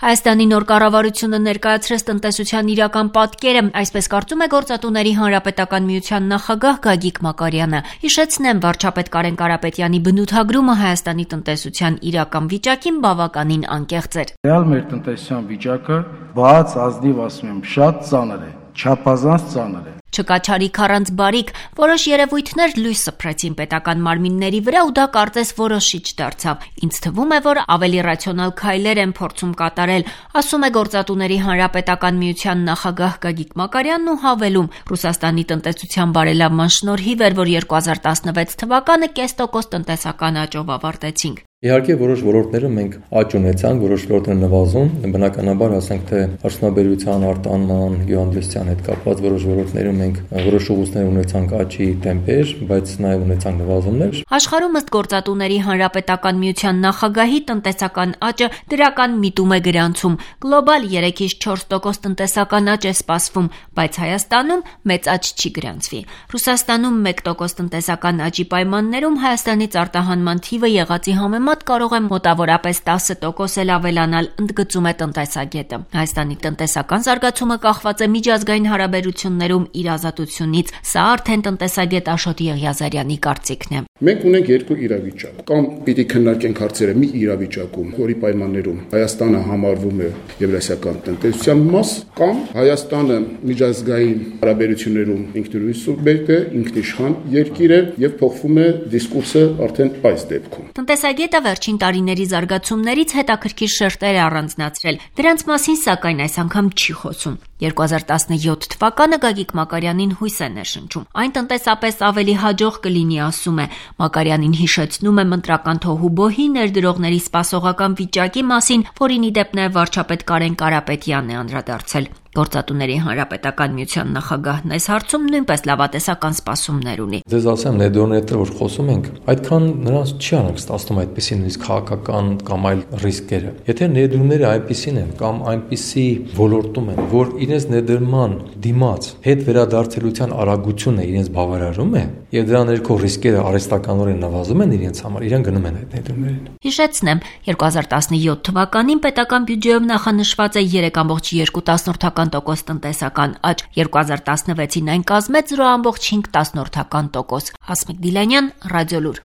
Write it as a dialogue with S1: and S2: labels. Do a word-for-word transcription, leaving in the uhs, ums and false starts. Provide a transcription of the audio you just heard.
S1: Հայաստանի նոր կառավարությունը ներկայացրեց տնտեսության իրական պատկերը, այսպես կարծում է Գործատուների հանրապետական միության նախագահ Գագիկ Մակարյանը։ Հիշեցնեմ, վարչապետ Կարեն Կարապետյանի բնութագրումը Հայաստանի տնտեսության իրական վիճակին բավականին անկեղծ էր։
S2: Ռեալ մեր տնտեսության վիճակը բաց, ազնիվ, ասում եմ, շատ ծանր է, չափազանց ծանր է։
S1: Չկա չարիք առանց բարիք, որոշ երևույթներ լույս սփռեցին պետական մարմինների վրա ու դա կարծես որոշիչ դարձավ։ Ինձ թվում է, որ ավելի ռացիոնալ քայլեր են փորձում կատարել, ասում է Գործատուների հանրապետական միության նախագահ Գագիկ Մակարյանն ու հավելում. Ռուսաստանի տնտեսության բարելավման շնորհիվ էր, որ երկու հազար տասնվեց թվականը կես տոկոս տնտեսական աճով ավարտեցինք։
S3: Իհարկե որոշ ոլորտներում մենք աճ ունեցանք, որոշ ոլորտներ նվազում, բնականաբար ասենք թե արդյունաբերության, արտահանման, գյուղատնտեսության հետ կապված որոշ ոլորտներում մենք որոշ ուղղություններ ունեցանք աճի տեմպեր, բայց նաև ունեցանք նվազումներ։
S1: Աշխարհում ըստ Գործատուների հանրապետական միության նախագահի տնտեսական աճը դրական միտում է գրանցում։ Գլոբալ երեքից չորս տոկոս տնտեսական աճ է սպասվում, բայց Հայաստանում մեծ աճ չի գրանցվի։ Ռուսաստանում մեկ տոկոս տնտեսական աճի պայմաններում Հայաստանից արտահանման թիվը եղածի համեմատ կարող է մոտավորապես տասը տոկոս էլ ավելանալ, ընդգծում է տնտեսագետը։ Հայաստանի տնտեսական զարգացումը կախված է միջազգային հարաբերություններում իր ազատությունից։ Սա արդեն տնտեսագետ Աշոտ Եղիազարյանի կարծիքն է։
S4: Մենք ունենք երկու իրավիճակ, կամ պիտի քննարկենք հարցերը մի իրավիճակում, որի պայմաններում Հայաստանը համարվում է եվրասիական տնտեսության մաս, կամ Հայաստանը միջազգային հարաբերություններում ինքնուրույն սուբյեկտ է, ինքնիշխան երկիր է եւ փոխվում է դիսկուրսը արդեն այս դեպքում։
S1: Տնտեսագետը վերջին տարիների զարգացումներից հետաքրքիր շերտեր է առանձնացրել։ Դրանց մասին սակայն այս անգամ չի խոսում։ երկու հազար տասնյոթ թվականը Գագիկ Մակարյանին հույս է ներշնչում։ Այն տնտեսապես ավելի հաջող կլինի, ասում է։ Մակարյանին հիշեցնում է մընտրական թոհուբոհի ներդրողների սպասողական վիճակի մասին, որին ի դեպ նաև վարչապետ Կարեն Կարապետյանն է անդրադարձել։ Գործատուների հանրապետական միության նախագահն այս հարցում նույնպես լավատեսական սպասումներ ունի։
S3: Ձեզ ասեմ, ներդրողների հետ որ խոսում ենք, այդքան նրանց չի անհանգստացնում այդպիսի նույնիսկ քաղաքական կամ այլ ռիսկերը։ Եթե ներդրումները այնպիսին են կամ այնպիսի ոլորտում են, որ իրենց ներդրման դիմաց հետ վերադարձելիության արագությունը իրենց բավարարում է, եւ դրա ներքո ռիսկերը արհեստականորեն նվազում են իրենց համար, իրեն գնում են այդ ներդրումներին։
S1: Հիշեցնեմ, երկու հազար տասնյոթ թվականին պետական բյուջեում նախանշված է երեք ամբողջ երկու տոկոս տնտեսական աճ, երկու հազար տասնվեցին այն կազմեց զրո ամբողջ հինգ տոկոս։ Հասմիկ Դիլանյան, Ռադիոլուր։